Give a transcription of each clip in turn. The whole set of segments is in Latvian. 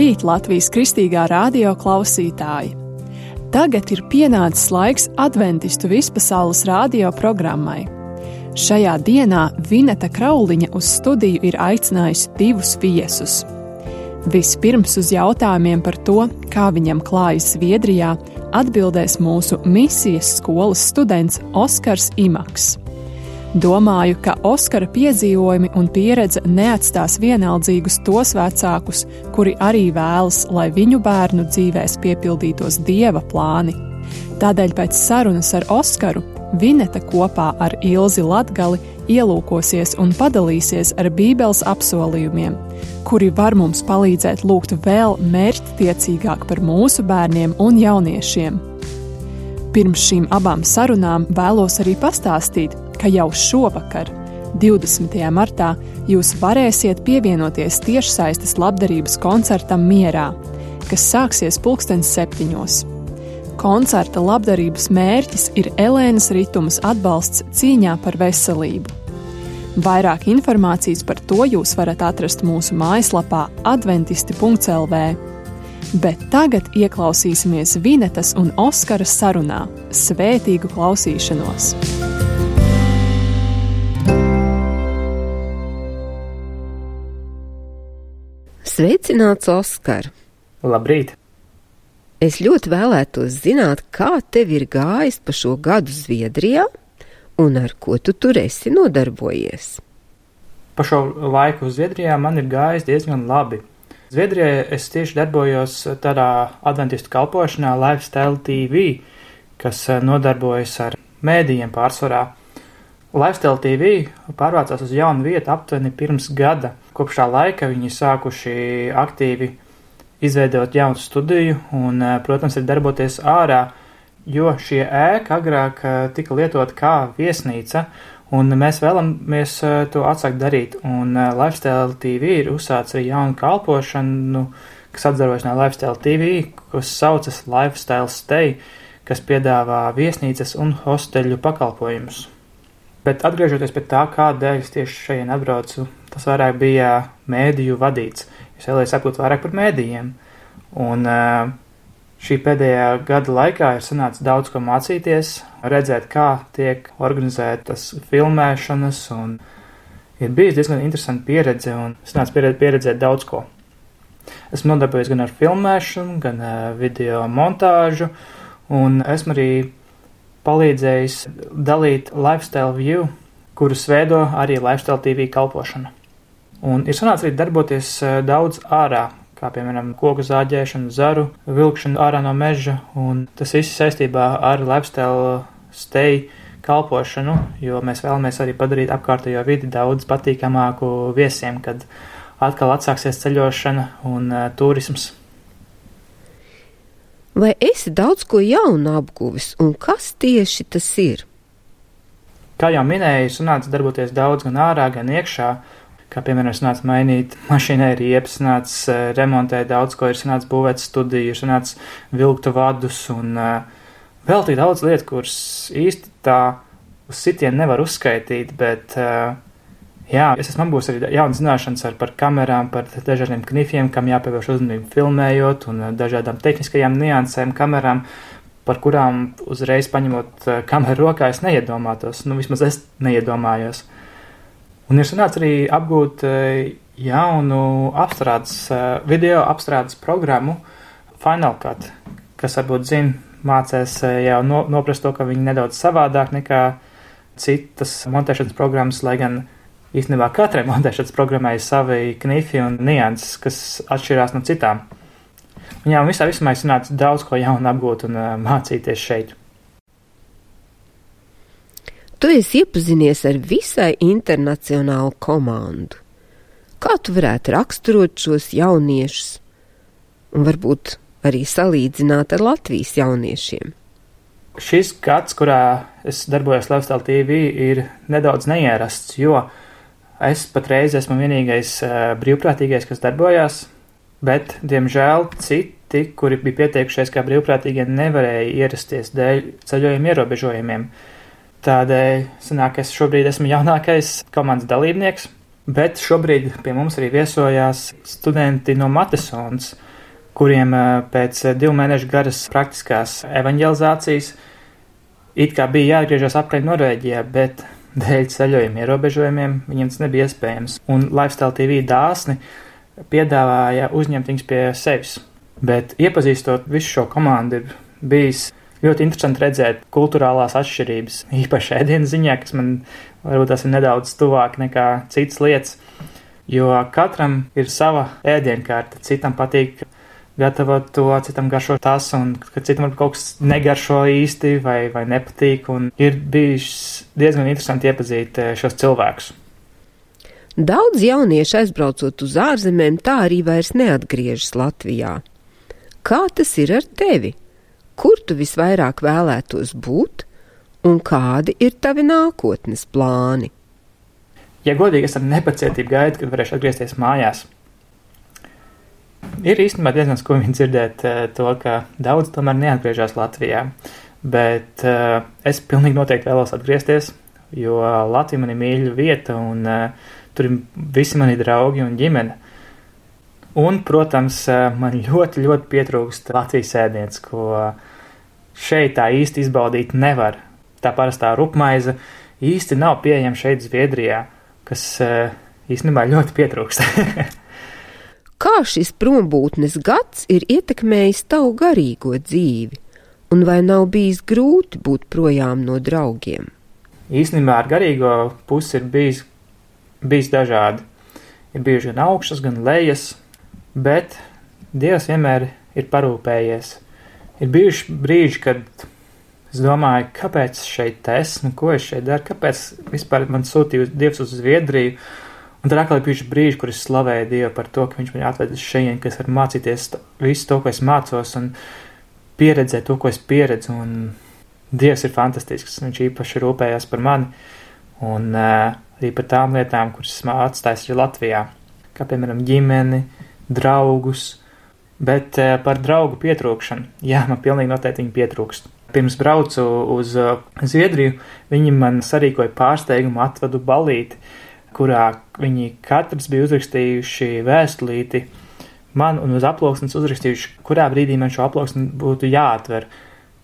Labrīt, Latvijas Kristīgā radio klausītāji! Tagad ir pienācis laiks adventistu vispasaules radio programmai. Šajā dienā Vineta Krauliņa uz studiju ir aicinājusi divus viesus. Vispirms uz jautājumiem par to, kā viņam klājas Zviedrijā, atbildēs mūsu misijas skolas students Oskars Imaks. Domāju, ka Oskara piedzīvojumi un pieredze neatstās vienaldzīgus tos vecākus, kuri arī vēlas, lai viņu bērnu dzīvēs piepildītos Dieva plāni. Tādēļ pēc sarunas ar Oskaru Vineta kopā ar Ilzi Latgali ielūkosies un padalīsies ar Bībeles apsolījumiem, kuri var mums palīdzēt lūgt vēl mērķtiecīgāk par mūsu bērniem un jauniešiem. Pirms šīm abām sarunām vēlos arī pastāstīt, ka jau šovakar, 20. martā, jūs varēsiet pievienoties tiešsaistes labdarības koncertam Mierā, kas sāksies 7:00. Koncerta labdarības mērķis ir Elēnas Ritumas atbalsts cīņā par veselību. Vairāk informācijas par to jūs varat atrast mūsu mājaslapā adventisti.lv. Bet tagad ieklausīsimies Vinetas un Oskara sarunā. Svētīgu klausīšanos! Sveicināts, Oskar! Labrīt! Es ļoti vēlētos zināt, kā tev ir gājis pa šo gadu Zviedrijā un ar ko tu tur esi nodarbojies. Pa šo laiku Zviedrijā man ir gājis diezgan labi. Zviedrijā es tieši darbojos tādā adventistu kalpošanā Lifestyle TV, kas nodarbojas ar mēdījiem pārsvarā. Lifestyle TV pārvācās uz jaunu vietu aptuveni pirms gada. Kopš tā laika viņi sākuši aktīvi izveidot jaunu studiju un, protams, ir darboties ārā, jo šie ēka agrāk tika lietot kā viesnīca, un mēs vēlamies to atsākt darīt. Un Lifestyle TV ir uzsācis arī jaunu kalpošanu, kas atdarbojas no Lifestyle TV, kas saucas Lifestyle Stay, kas piedāvā viesnīcas un hosteļu pakalpojumus. Bet atgriežoties pie tā, kādēļ es tieši šeit atbraucu, tas vairāk bija mēdīju vadīts. Es vēlēju sapūt vairāk par mēdījiem. Un šī pēdējā gada laikā ir sanācis daudz ko mācīties, redzēt, kā tiek organizētas filmēšanas, un ir bijis diezgan interesanta pieredze, un sanācis pieredzēt daudz ko. Esmu nodarbojies gan ar filmēšanu, gan video montāžu, un esmu arī palīdzējis dalīt Lifestyle View, kurus veido arī Lifestyle TV kalpošana. Un ir sanācis arī darboties daudz ārā, kā piemēram koku zāģēšanu, zaru, vilkšanu ārā no meža, un tas viss saistībā ar Lifestyle Stay kalpošanu, jo mēs vēlamies arī padarīt apkārtējo vidi daudz patīkamāku viesiem, kad atkal atsāksies ceļošana un turisms. Vai esi daudz ko jaunu apguvis, un kas tieši tas ir? Kā jau minēju, sanāca darboties daudz gan ārā, gan iekšā, kā piemēram sanāca mainīt mašīnai riepas, sanāca remontēt daudz ko, ir sanāca būvēt studiju, ir sanāca vilkt vadus un vēl tik daudz lietu, kuras īsti tā uz sitienu nevar uzskaitīt, bet jā, es esmu apgūs arī jaunas zināšanas par kamerām, par dažādiem knifiem, kam jāpievērš uzmanību filmējot, un dažādām tehniskajām niansēm kamerām, par kurām uzreiz paņemot kameru rokā es neiedomātos, vismaz es neiedomājos. Un ir sanācis arī apgūt jaunu video apstrādes programmu Final Cut, kas varbūt mācēs jau noprast to, ka viņi nedaudz savādāk nekā citas montēšanas programmas, lai gan īstenībā katrai montēšanas programmai ir savi knifi un nianses, kas atšķirās no citām. Viņām visā vismā ir sanācis daudz ko jaunu apgūt un mācīties šeit. Tu esi iepazinies ar visai internacionālu komandu. Kā tu varētu raksturot šos jauniešus un varbūt arī salīdzināt ar Latvijas jauniešiem? Šis gads, kurā es darbojos Lifestyle TV, ir nedaudz neierasts, jo es patreiz esmu vienīgais brīvprātīgais, kas darbojās, bet, diemžēl, citi, kuri bija pieteikušies kā brīvprātīgie, nevarēja ierasties dēļ ceļojuma ierobežojumiem. Tādēļ sanāk, es šobrīd esmu jaunākais komandas dalībnieks, bet šobrīd pie mums arī viesojās studenti no Matesonas, kuriem pēc 2 mēnešu garas praktiskās evaņģelizācijas it kā bija jāatgriežas atpakaļ Norvēģijā, bet dēļ ceļojuma ierobežojumiem viņiem tas nebija iespējams. Un Lifestyle TV dāsni piedāvāja uzņemt viņus pie sevis. Bet iepazīstot visu šo komandu ir bijis ļoti interesanti redzēt kulturālās atšķirības, īpaši ēdienu ziņā, kas man varbūt tas ir nedaudz tuvāk nekā citas lietas, jo katram ir sava ēdienkārta, citam patīk gatavot to, citam garšo tas, un citam varbūt kaut kas negaršo īsti vai nepatīk, un ir bijis diezgan interesanti iepazīt šos cilvēkus. Daudz jaunieši aizbraucot uz ārzemēm tā arī vairs neatgriežas Latvijā. Kā tas ir ar tevi? Kur tu visvairāk vēlētos būt, un kādi ir tavi nākotnes plāni? Ja godīgi, es ar nepacietību gaidu, kad varēšu atgriezties mājās. Ir īstenībā diezgan skumji dzirdēt to, ka daudz tomēr neatgriežas Latvijā, bet es pilnīgi noteikti vēlos atgriezties, jo Latvija man ir mīļa vieta, un tur ir visi mani draugi un ģimene. Un, protams, man ļoti, ļoti pietrūkst Latvijas ēdiens, ko šeit tā īsti izbaudīt nevar. Tā parastā rupmaize īsti nav pieejama šeit Zviedrijā, kas īstenībā ļoti pietrūkst. Kā šis prombūtnes gads ir ietekmējis tavu garīgo dzīvi, un vai nav bijis grūti būt projām no draugiem? Īstenībā ar garīgo pusi ir bijis dažādi. Ir bijuši gan augšas, gan lejas, bet Dievs vienmēr ir parūpējies. Ir bijuši brīži, kad es domāju, kāpēc šeit esmu, ko es šeit daru, kāpēc vispār man sūtīja Dievs uz Zviedriju. Un tad atkal ir bijuši brīži, kur es slavēju Dievu par to, ka viņš man atvedis šeit, ka es varu mācīties visu to, ko es mācos, un pieredzēt to, ko es pieredzu. Un Dievs ir fantastisks, viņš īpaši rūpējās par mani, un arī par tām lietām, kuras esmu atstājis arī Latvijā, kā piemēram ģimeni, draugus, bet par draugu pietrūkšanu. Jā, man pilnīgi noteikti viņi pietrūkst. Pirms braucu uz Zviedriju, viņi man sarīkoja pārsteigumu atvadu balīti, kurā viņi katrs bija uzrakstījuši vēstulīti man un uz aploksnes uzrakstījuši, kurā brīdī man šo aploksni būtu jāatver.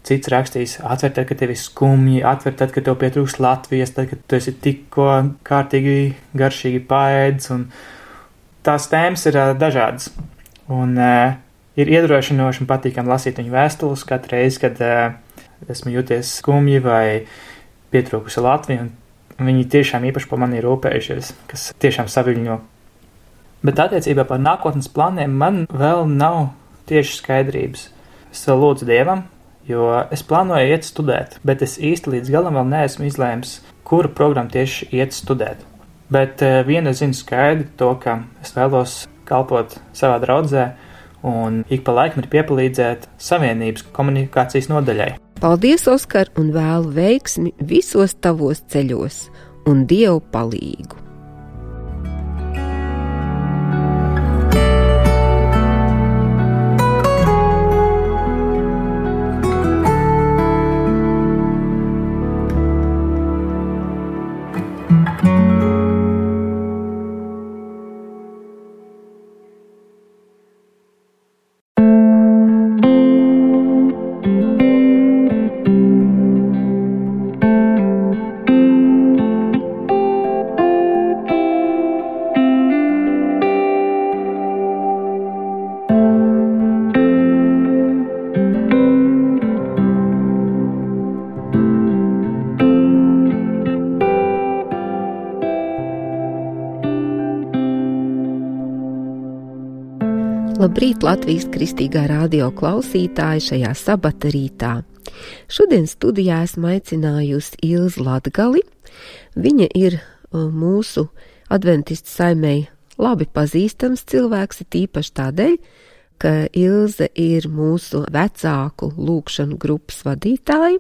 Cits rakstījis, atver tad, kad tev ir skumji, atver tad, kad tev pietrūkst Latvijas, tad, kad tu esi tikko kārtīgi garšīgi paēdis, un tās tēmas ir dažādas. Un ir iedrošinoši un patīkami lasīt viņu vēstules katru reizi, kad esmu jūties skumji vai pietrūkusi Latvija, un viņi tiešām īpaši par mani ir rūpējušies, kas tiešām saviļņo. Bet attiecībā par nākotnes plāniem man vēl nav tieši skaidrības. Es vēl lūdzu Dievam, jo es plānoju iet studēt, bet es īsti līdz galam vēl neesmu izlēmis, kuru programmu tieši iet studēt. Bet viena zinu skaidri to, ka es vēlos kalpot savā draudzē un ik pa laikam ir piepalīdzēt Savienības komunikācijas nodaļai. Paldies, Oskar, un vēlu veiksmi visos tavos ceļos un Dievu palīgu. Labrīt, Latvijas Kristīgā radio klausītāji šajā sabata rītā. Šodien studijā esmu aicinājusi Ilzi Latgali. Viņa ir mūsu adventistu saimei labi pazīstams cilvēks, tīpaši tādēļ, ka Ilze ir mūsu vecāku lūgšanu grupas vadītāja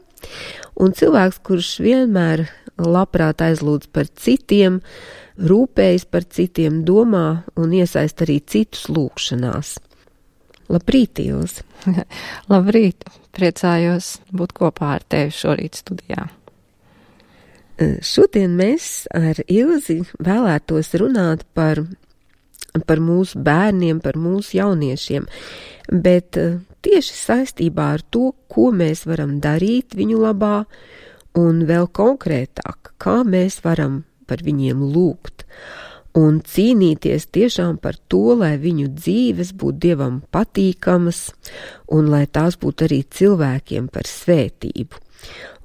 un cilvēks, kurš vienmēr labprāt aizlūdz par citiem, rūpējas par citiem, domā un iesaist arī citus lūgšanās. Labrīt, Ilze! Labrīt! Priecājos būt kopā ar tevi šorīt studijā. Šodien mēs ar Ilzi vēlētos runāt par par mūsu bērniem, par mūsu jauniešiem, bet tieši saistībā ar to, ko mēs varam darīt viņu labā, un vēl konkrētāk, kā mēs varam par viņiem lūgt un cīnīties tiešām par to, lai viņu dzīves būtu Dievam patīkamas un lai tās būtu arī cilvēkiem par svētību.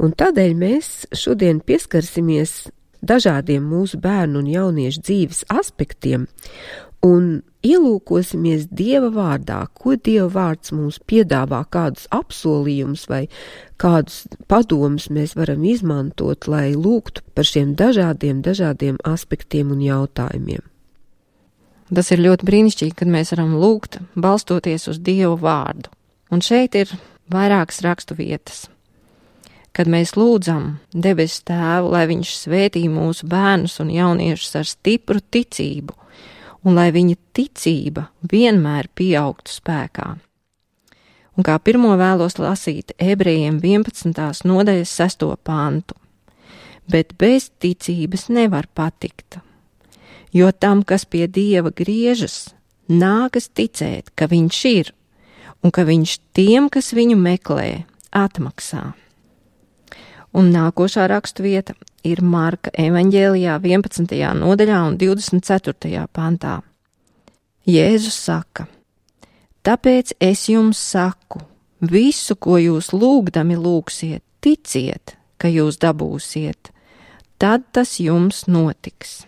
Un tādēļ mēs šodien pieskarsimies dažādiem mūsu bērnu un jauniešu dzīves aspektiem un ielūkosimies Dieva vārdā, ko Dieva vārds mums piedāvā, kādus apsolījumus vai kādus padomus mēs varam izmantot, lai lūgtu par šiem dažādiem aspektiem un jautājumiem. Tas ir ļoti brīnišķīgi, kad mēs varam lūgt, balstoties uz Dieva vārdu. Un šeit ir vairākas rakstu vietas. Kad mēs lūdzam debesu Tēvu, lai viņš svētī mūsu bērnus un jauniešus ar stipru ticību, un lai viņa ticība vienmēr pieaugtu spēkā. Un kā pirmo vēlos lasīt Ebrejiem 11. nodaļas 6. pantu. Bet bez ticības nevar patikt, jo tam, kas pie Dieva griežas, nākas ticēt, ka viņš ir, un ka viņš tiem, kas viņu meklē, atmaksā. Un nākošā rakstvieta ir Marka evaņģēlijā 11. nodaļā un 24. pantā. Jēzus saka: Tāpēc es jums saku, visu, ko jūs lūgdami lūgsiet, ticiet, ka jūs dabūsiet, tad tas jums notiks.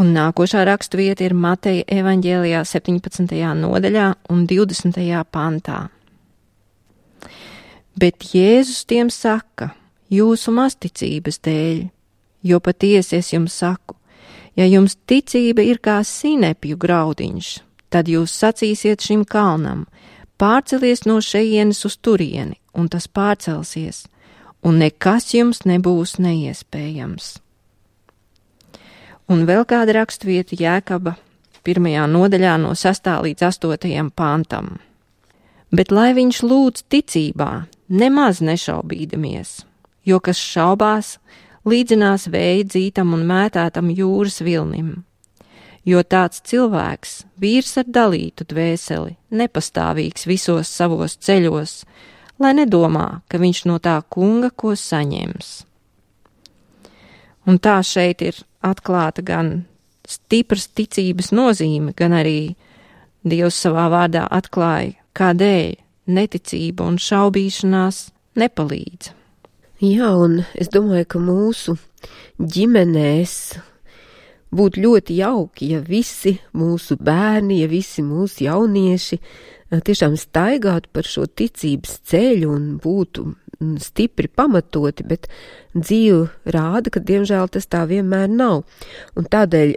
Un nākošā rakstvieta ir Mateja evaņģēlijā 17. nodaļā un 20. pantā. Bet Jēzus tiem saka: Jūsu mazticības dēļ, jo patiesi es jums saku, ja jums ticība ir kā sinepju graudiņš, tad jūs sacīsiet šim kalnam: pārcelies no šejienes uz turieni, un tas pārcelsies, un nekas jums nebūs neiespējams. Un vēl kāda rakstvieta Jēkaba 1. nodaļā no 6. līdz 8. pantam. Bet lai viņš lūdz ticībā, nemaz nešaubīdamies, jo kas šaubās, līdzinās vēja dzītam un mētātam jūras vilnim. Jo tāds cilvēks, vīrs ar dalītu dvēseli, nepastāvīgs visos savos ceļos, lai nedomā, ka viņš no tā kunga ko saņems. Un tā šeit ir atklāta gan stipras ticības nozīme, gan arī Dievs savā vārdā atklāja, kādēļ neticība un šaubīšanās nepalīdz. Jā, un es domāju, ka mūsu ģimenēs būtu ļoti jauki, ja visi mūsu bērni, ja visi mūsu jaunieši tiešām staigātu par šo ticības ceļu un būtu stipri pamatoti, bet dzīve rāda, ka diemžēl tas tā vienmēr nav. Un tādēļ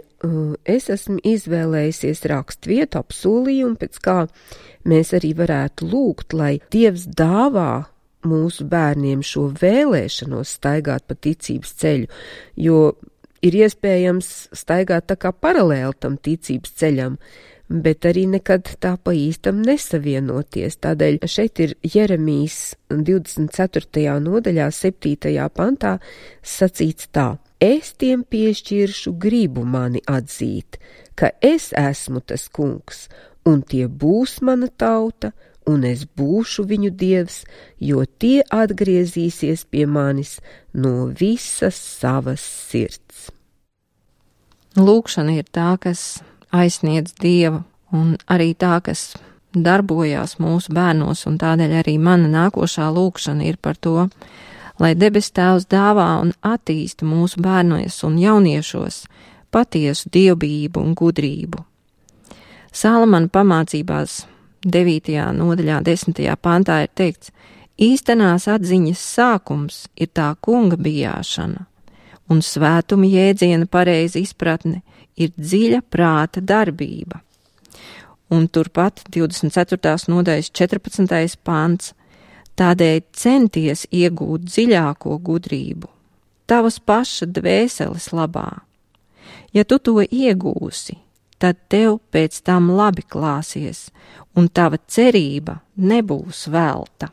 es esmu izvēlējusies rakstvietu apsolījumu, pēc kā mēs arī varētu lūgt, lai Dievs dāvā mūsu bērniem šo vēlēšanos staigāt pa ticības ceļu, jo ir iespējams staigāt tā kā paralēli tam ticības ceļam, bet arī nekad tā pa īstam nesavienoties. Tādēļ šeit ir Jeremijas 24. nodaļā 7. pantā sacīts tā: Es tiem piešķiršu gribu mani atzīt, ka es esmu tas kungs, un tie būs mana tauta, un es būšu viņu Dievs, jo tie atgriezīsies pie manis no visas savas sirds. Lūkšana ir tā, kas aizsniedz Dievu, un arī tā, kas darbojās mūsu bērnos, un tādēļ arī mana nākošā lūkšana ir par to, lai debes Tēvs dāvā un attīsta mūsu bērnos un jauniešos patiesu dievbijību un gudrību. Salamana pamācībās 9. nodaļā 10. pantā ir teikts: īstenās atziņas sākums ir tā kunga bijāšana, un svētuma jēdziena pareiza izpratne ir dziļa prāta darbība. Un turpat 24. nodaļas 14. pants: tādēļ centies iegūt dziļāko gudrību, tavas paša dvēseles labā. Ja tu to iegūsi, tad tev pēc tam labi klāsies, un tava cerība nebūs velta.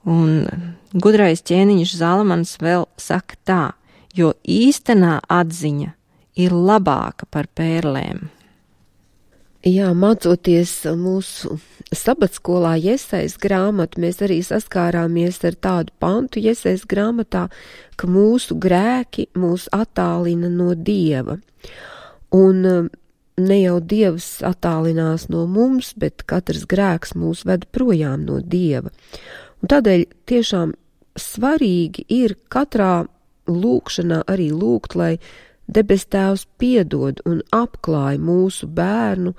Un gudrais ķēniņš Zalamans vēl saka tā: jo īstenā atziņa ir labāka par pērlēm. Jā, mācoties mūsu sabatskolā Jesajas grāmatu, mēs arī saskārāmies ar tādu pantu Jesajas grāmatā, ka mūsu grēki mūs attālina no Dieva. Un ne jau Dievs attālinās no mums, bet katrs grēks mūs ved projām no Dieva. Un tādēļ tiešām svarīgi ir katrā lūkšanā arī lūgt, lai debes Tēvs piedod un apklāj mūsu bērnu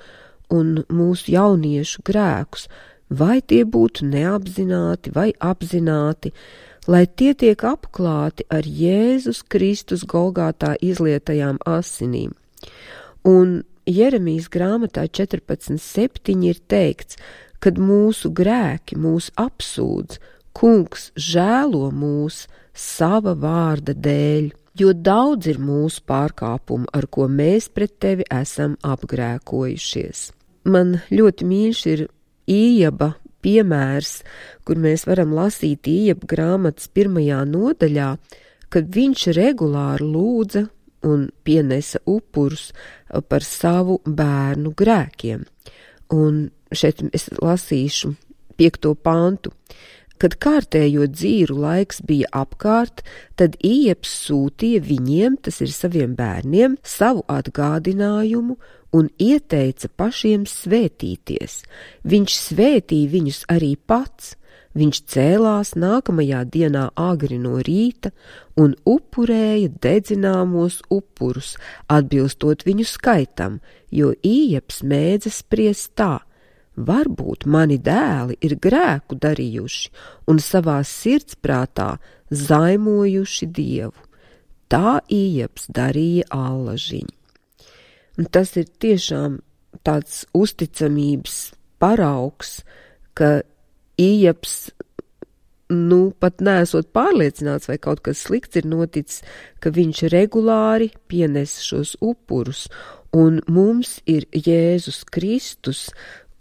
un mūsu jauniešu grēkus, vai tie būtu neapzināti vai apzināti, lai tie tiek apklāti ar Jēzus Kristus Golgātā izlietajām asinīm. Un Jeremijas grāmatā 14:7 ir teikts, kad mūsu grēki mūs apsūdz, Kungs žēlo mūs sava vārda dēļ, jo daudz ir mūsu pārkāpumu, ar ko mēs pret tevi esam apgrēkojušies. Man ļoti mīļš ir Ījaba piemērs, kur mēs varam lasīt Ījaba grāmatas 1. nodaļā, kad viņš regulāri lūdza un pienesa upurus par savu bērnu grēkiem. Un šeit es lasīšu 5. pantu. Kad kārtējo dzīru laiks bija apkārt, tad Ījabs sūtīja viņiem, tas ir saviem bērniem, savu atgādinājumu un ieteica pašiem svētīties. Viņš svētīja viņus arī pats. Viņš cēlās nākamajā dienā agri no rīta un upurēja dedzināmos upurus, atbilstot viņu skaitam, jo Ījabs mēdza spriest tā: varbūt mani dēli ir grēku darījuši un savā sirdsprātā zaimojuši Dievu. Tā Ījabs darīja allažiņu. Un tas ir tiešām tāds uzticamības paraugs, ka Ījabs, pat neesot pārliecināts, vai kaut kas slikts ir noticis, ka viņš regulāri pienes šos upurus, un mums ir Jēzus Kristus,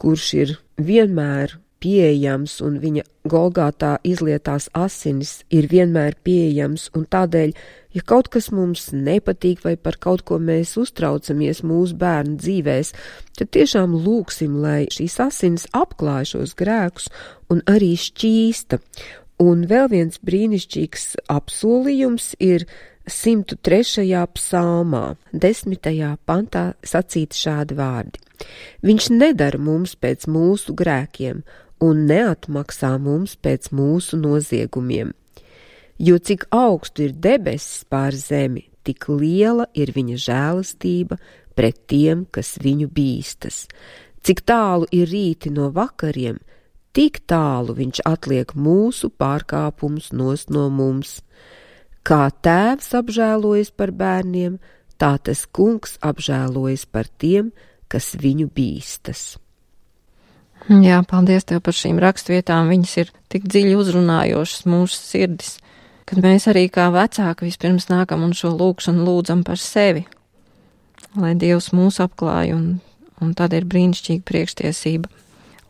kurš ir vienmēr pieejams, un viņa Golgātā izlietās asinis ir vienmēr pieejams, un tādēļ, ja kaut kas mums nepatīk vai par kaut ko mēs uztraucamies mūsu bērnu dzīvēs, tad tiešām lūksim, lai šīs asinis apklāj šos grēkus un arī šķīsta. Un vēl viens brīnišķīgs apsolījums ir 103. psalmā, 10. pantā sacīti šādi vārdi: Viņš nedara mums pēc mūsu grēkiem un neatmaksā mums pēc mūsu noziegumiem. Jo cik augstu ir debesis pār zemi, tik liela ir viņa žēlastība pret tiem, kas viņu bīstas. Cik tālu ir rīti no vakariem, tik tālu viņš atliek mūsu pārkāpumus nost no mums. Kā tēvs apžēlojas par bērniem, tā tas Kungs apžēlojas par tiem, kas viņu bīstas. Jā, paldies Tev par šīm rakstvietām, viņas ir tik dziļi uzrunājošas mūsu sirdis, kad mēs arī kā vecāki vispirms nākam un šo lūkšanu lūdzam par sevi, lai Dievs mūs apklāj, un tad ir brīnišķīga priekštiesība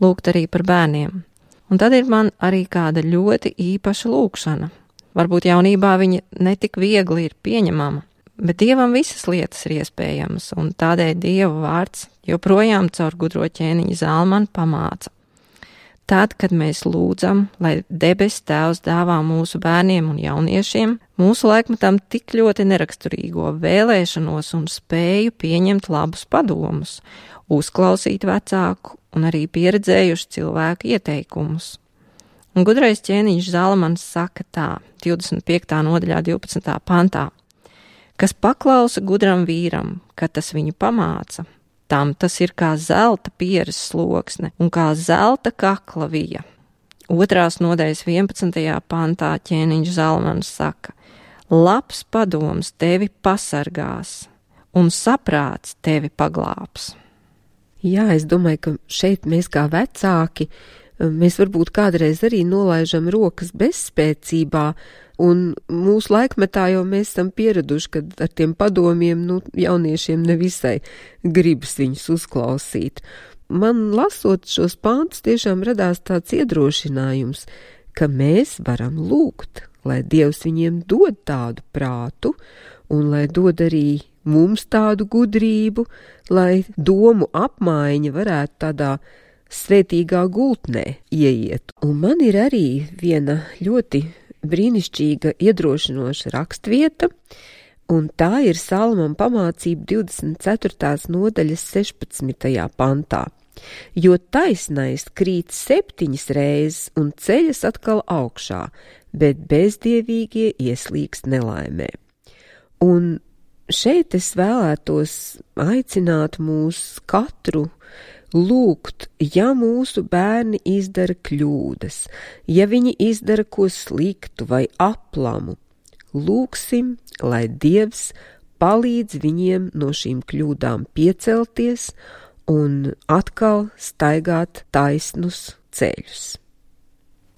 lūgt arī par bērniem. Un tad ir man arī kāda ļoti īpaša lūkšana. Varbūt jaunībā viņa netik viegli ir pieņemama, bet Dievam visas lietas ir iespējamas, un tādēļ Dieva vārds joprojām caur gudro ķēniņu Zalmanu pamāca. Tad, kad mēs lūdzam, lai debes Tēvs dāvā mūsu bērniem un jauniešiem, mūsu laikmetam tik ļoti neraksturīgo vēlēšanos un spēju pieņemt labus padomus, uzklausīt vecāku un arī pieredzējuši cilvēku ieteikumus. Un gudrais ķēniņš Zalmans saka tā, 25. nodaļā 12. pantā: kas paklausa gudram vīram, kad tas viņu pamāca, tam tas ir kā zelta pieres sloksne un kā zelta kakla vija. 2. nodaļas 11. pantā ķēniņš Zalmans saka: labs padoms tevi pasargās un saprāts tevi paglābs. Jā, es domāju, ka šeit mēs kā vecāki, mēs varbūt kādreiz arī nolaižam rokas bezspēcībā, un mūsu laikmetā jau mēs esam pieraduši, kad ar tiem padomiem, jauniešiem nevisai gribas viņus uzklausīt. Man lasot šos pantus tiešām radās tāds iedrošinājums, ka mēs varam lūgt, lai Dievs viņiem dod tādu prātu un lai dod arī mums tādu gudrību, lai domu apmaiņa varētu tādā svētīgā gultnē ieiet. Un man ir arī viena ļoti brīnišķīga, iedrošinoša rakstvieta, un tā ir Salamam pamācība 24. nodaļas 16. pantā. Jo taisnais krīt 7 reizes un ceļas atkal augšā, bet bezdievīgie ieslīgst nelaimē. Un šeit es vēlētos aicināt mūs katru lūgt, ja mūsu bērni izdara kļūdas, ja viņi izdara ko sliktu vai aplamu, lūgsim, lai Dievs palīdz viņiem no šīm kļūdām piecelties un atkal staigāt taisnus ceļus.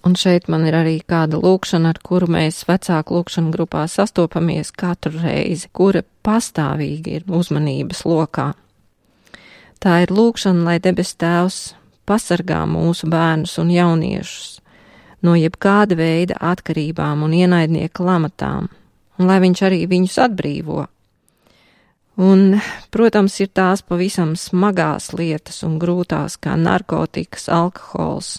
Un šeit man ir arī kāda lūkšana, ar kuru mēs vecāku lūkšanu grupā sastopamies katru reizi, kura pastāvīgi ir uzmanības lokā. Tā ir lūkšana, lai debes Tēvs pasargā mūsu bērnus un jauniešus no jebkāda veida atkarībām un ienaidnieka lamatām, un lai viņš arī viņus atbrīvo. Un, protams, ir tās pavisam smagās lietas un grūtās, kā narkotikas, alkohols.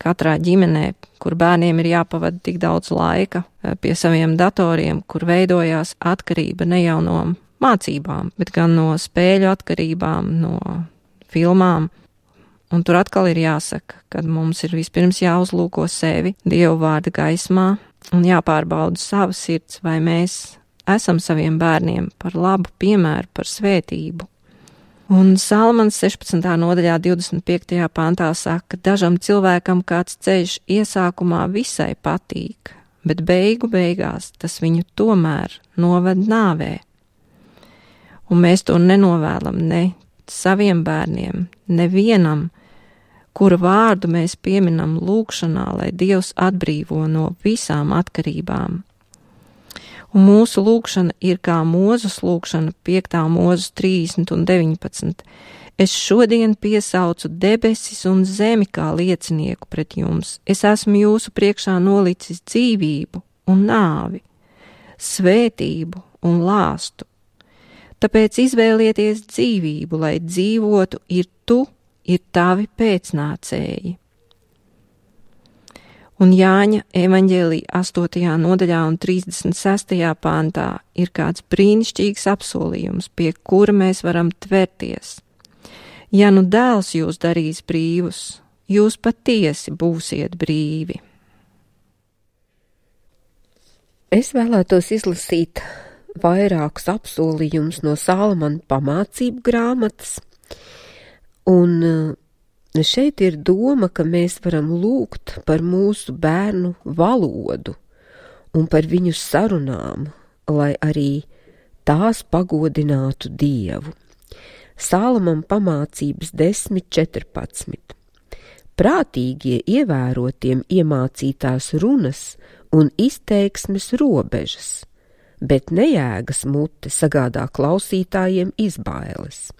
Katrā ģimenē, kur bērniem ir jāpavada tik daudz laika pie saviem datoriem, kur veidojās atkarība ne jau no mācībām, bet gan no spēļu atkarībām, no filmām. Un tur atkal ir jāsaka, ka mums ir vispirms jāuzlūko sevi Dieva vārda gaismā un jāpārbauda sava sirds, vai mēs esam saviem bērniem par labu piemēru, par svētību. Un Salamans 16. nodaļā 25. pantā saka, dažam cilvēkam kāds ceļš iesākumā visai patīk, bet beigās tas viņu tomēr noved nāvē. Un mēs to nenovēlam ne saviem bērniem, nevienam, kura vārdu mēs pieminam lūkšanā, lai Dievs atbrīvo no visām atkarībām. Un mūsu lūkšana ir kā Mūzes lūkšana 5. mūzes 30 un 19. Es šodien piesaucu debesis un zemi kā liecinieku pret jums. Es esmu jūsu priekšā nolicis dzīvību un nāvi, svētību un lāstu. Tāpēc izvēlieties dzīvību, lai dzīvotu ir tavi pēcnācēji. Un Jāņa evaņģēlija 8. nodaļā un 36. pantā ir kāds brīnišķīgs apsolījums, pie kura mēs varam tverties. Ja nu dēls jūs darīs brīvus, jūs patiesi būsiet brīvi. Es vēlētos izlasīt vairākus apsolījumus no Salamana pamācību grāmatas, un šeit ir doma, ka mēs varam lūgt par mūsu bērnu valodu un par viņu sarunām, lai arī tās pagodinātu Dievu. Salamam pamācības 10.14. Prātīgie ievērotiem iemācītās runas un izteiksmes robežas, bet nejēgas mute sagādā klausītājiem izbailes.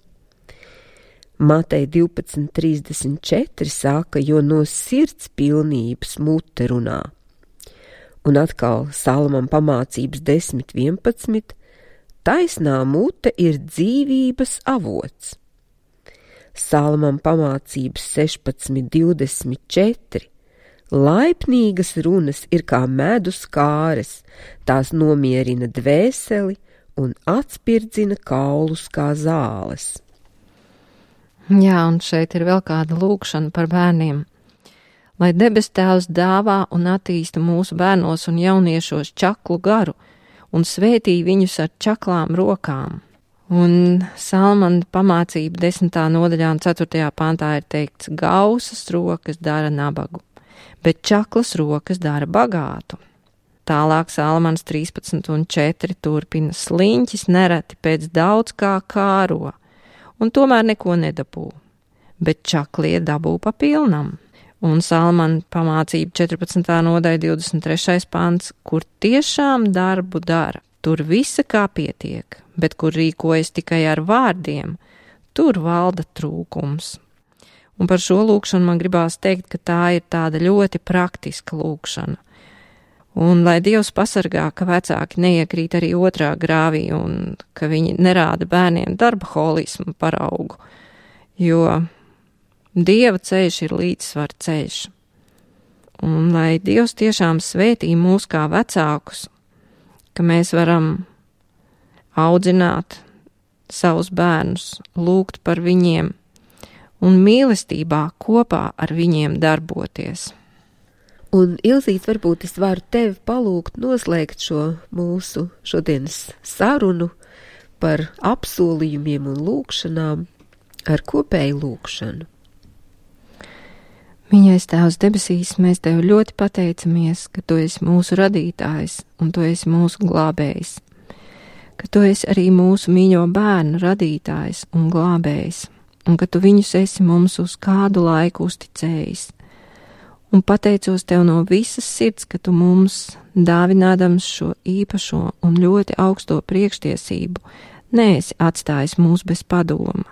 Mateja 12.34 saka, jo no sirds pilnības mute runā. Un atkal Salamam pamācības 10.11. Taisnā mute ir dzīvības avots. Salamam pamācības 16.24. Laipnīgas runas ir kā medus kāres, tās nomierina dvēseli un atspirdzina kaulus kā zāles. Jā, un šeit ir vēl kāda lūkšana par bērniem. Lai debes Tēvs dāvā un attīsta mūsu bērnos un jauniešos čaklu garu un svētī viņus ar čaklām rokām. Un Salamana pamācība 10. nodaļā un 4. pantā ir teikts, gausas rokas dara nabagu, bet čaklas rokas dara bagātu. Tālāk Salamans 13 un 4 turpina, sliņķis nereti pēc daudz kā kāro, un tomēr neko nedabū, bet čaklie dabū pa pilnam. Un Salamana pamācība 14. nodaļa 23. pants, kur tiešām darbu dara, tur visa kā pietiek, bet kur rīkojas tikai ar vārdiem, tur valda trūkums. Un par šo lūkšanu man gribās teikt, ka tā ir tāda ļoti praktiska lūkšana. Un lai Dievs pasargā, ka vecāki neiekrīt arī otrā grāvī un ka viņi nerāda bērniem darbaholismu paraugu, jo Dieva ceļš ir līdzsvar ceļš. Un lai Dievs tiešām svētī mūs kā vecākus, ka mēs varam audzināt savus bērnus, lūgt par viņiem un mīlestībā kopā ar viņiem darboties. Un, Ilzīte, varbūt es varu tevi palūgt noslēgt šo mūsu šodienas sarunu par apsolījumiem un lūkšanām ar kopēju lūkšanu. Mīļais Tēvs debesīs, mēs Tev ļoti pateicamies, ka Tu esi mūsu radītājs un Tu esi mūsu glābējs, ka Tu esi arī mūsu mīļo bērnu radītājs un glābējs, un ka Tu viņus esi mums uz kādu laiku uzticējis. Un pateicos Tev no visas sirds, ka Tu mums, dāvinādams šo īpašo un ļoti augsto priekštiesību, neesi atstājis mūs bez padoma,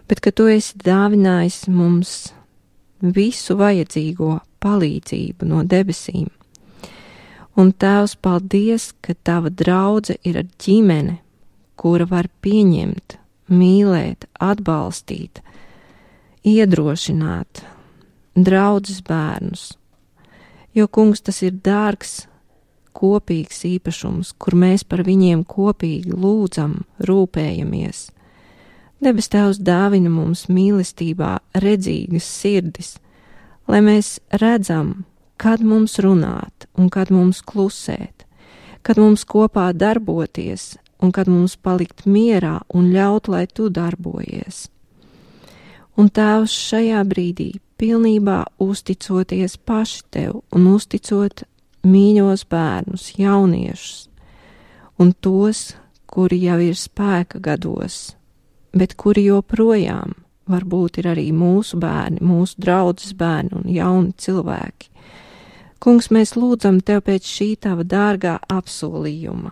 bet ka Tu esi dāvinājis mums visu vajadzīgo palīdzību no debesīm. Un Tēvs, paldies, ka Tava draudze ir ar ģimene, kura var pieņemt, mīlēt, atbalstīt, iedrošināt draudzes bērnus, jo, Kungs, tas ir dārgs, kopīgs īpašums, kur mēs par viņiem kopīgi lūdzam, rūpējamies. Debes Tēvs dāvina mums mīlestībā redzīgas sirdis, lai mēs redzam, kad mums runāt un kad mums klusēt, kad mums kopā darboties un kad mums palikt mierā un ļaut, lai Tu darbojies. Un Tēvs, šajā brīdī pilnībā uzticoties paši Tev un uzticot mīļos bērnus, jauniešus un tos, kuri jau ir spēka gados, bet kuri joprojām varbūt ir arī mūsu bērni, mūsu draudzes bērni un jauni cilvēki. Kungs, mēs lūdzam Tev pēc šī Tava dārgā apsolījuma.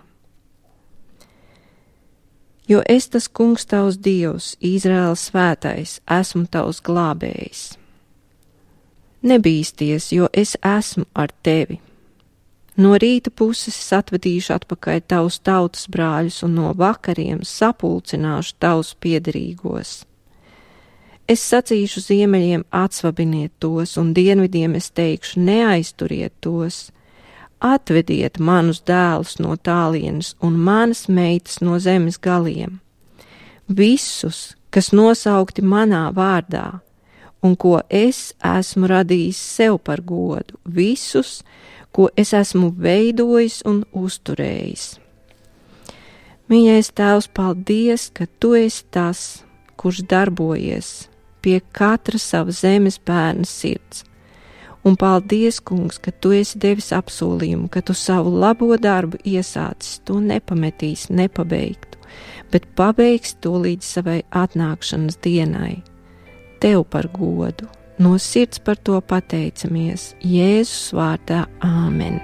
Jo es tas Kungs Tavs Dievs, Izraēla svētais, esmu Tavs glābējs. Nebīsties, jo es esmu ar Tevi. No rīta puses es atvedīšu atpakaļ Tavus tautas brāļus un no vakariem sapulcināšu Tavus piederīgos. Es sacīšu ziemeļiem atsvabiniet tos, un dienvidiem es teikšu neaizturiet tos. Atvediet manus dēlus no tālienes un manas meitas no zemes galiem. Visus, kas nosaukti manā vārdā, un ko es esmu radījis sev par godu, visus, ko es esmu veidojis un uzturējis. Mīļais Tēvs, paldies, ka Tu esi tas, kurš darbojies pie katra sava zemes bērna sirds. Un paldies, Kungs, ka Tu esi devis apsolījumu, ka Tu savu labo darbu iesācis, to nepametīs, nepabeigtu, bet pabeigsi to līdz savai atnākšanas dienai. Tev par godu, no sirds par to pateicamies, Jēzus vārdā, āmen.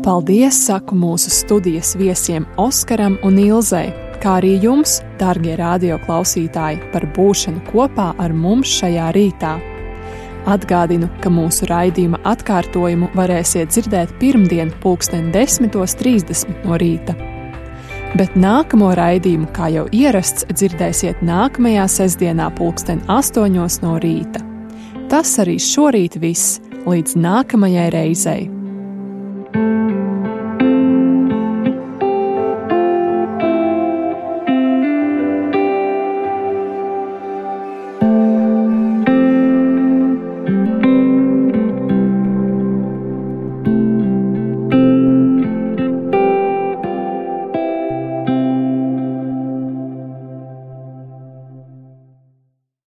Paldies, saku mūsu studijas viesiem Oskaram un Ilzei, kā arī jums, dārgie radio klausītāji, par būšanu kopā ar mums šajā rītā. Atgādinu, ka mūsu raidījuma atkārtojumu varēsiet dzirdēt pirmdien 10:30 no rīta. Bet nākamo raidījumu, kā jau ierasts, dzirdēsiet nākamajā sestdienā 8:00 no rīta. Tas arī šorīt viss, līdz nākamajai reizei.